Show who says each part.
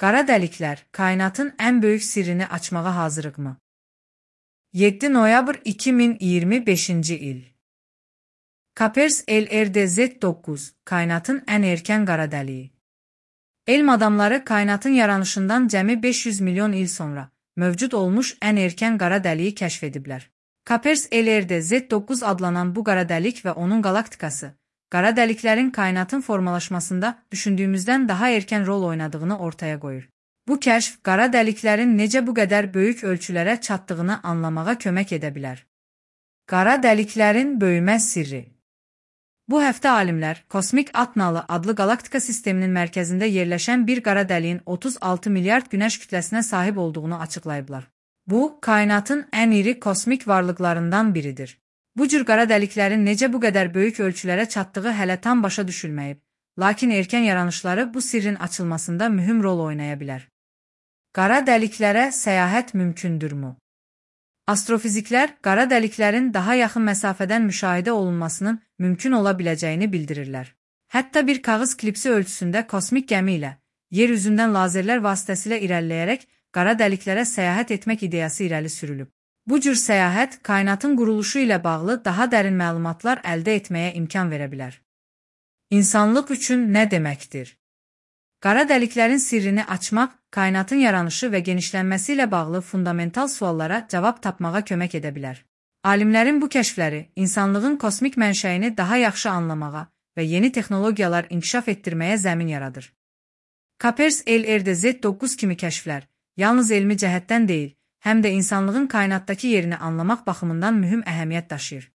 Speaker 1: Qara dəliklər kainatın ən böyük sirrini açmağa hazırıqmı? 7 noyabr 2025-ci il. Kapers LRDZ9 kainatın ən erkən qara dəliyi. Elm adamları kainatın yaranışından cəmi 500 milyon il sonra mövcud olmuş ən erkən qara dəliyi kəşf ediblər. Kapers LRDZ9 adlanan bu qara dəlik və onun qalaktikası, qara dəliklərin kainatın formalaşmasında düşündüyümüzdən daha erkən rol oynadığını ortaya qoyur. Bu kəşf qara dəliklərin necə bu qədər böyük ölçülərə çatdığını anlamağa kömək edə bilər. Qara dəliklərin böyümə sirri. Bu həftə alimlər Kosmik Atnalı adlı qalaktika sisteminin mərkəzində yerləşən bir qara dəliyin 36 milyard günəş kütləsinə sahib olduğunu açıqlayıblar. Bu, kainatın ən iri kosmik varlıqlarından biridir. Bu cür qara dəliklərin necə bu qədər böyük ölçülərə çatdığı hələ tam başa düşülməyib, lakin erkən yaranışları bu sirrin açılmasında mühüm rol oynaya bilər. Qara dəliklərə səyahət mümkündürmü? Astrofiziklər qara dəliklərin daha yaxın məsafədən müşahidə olunmasının mümkün ola biləcəyini bildirirlər. Hətta bir kağız klipsi ölçüsündə kosmik gəmi ilə yer üzündən lazerlər vasitəsilə irəliləyərək qara dəliklərə səyahət etmək ideyası irəli sürülüb. Bu cür səyahət kainatın quruluşu ilə bağlı daha dərin məlumatlar əldə etməyə imkan verə bilər. İnsanlıq üçün nə deməkdir? Qara dəliklərin sirrini açmaq, kainatın yaranışı və genişlənməsi ilə bağlı fundamental suallara cavab tapmağa kömək edə bilər. Alimlərin bu kəşfləri insanlığın kosmik mənşəyini daha yaxşı anlamağa və yeni texnologiyalar inkişaf etdirməyə zəmin yaradır. Kapers LRDZ9 kimi kəşflər yalnız elmi cəhətdən deyil, həm də insanlığın kainatdakı yerini anlamaq baxımından mühüm əhəmiyyət daşıyır.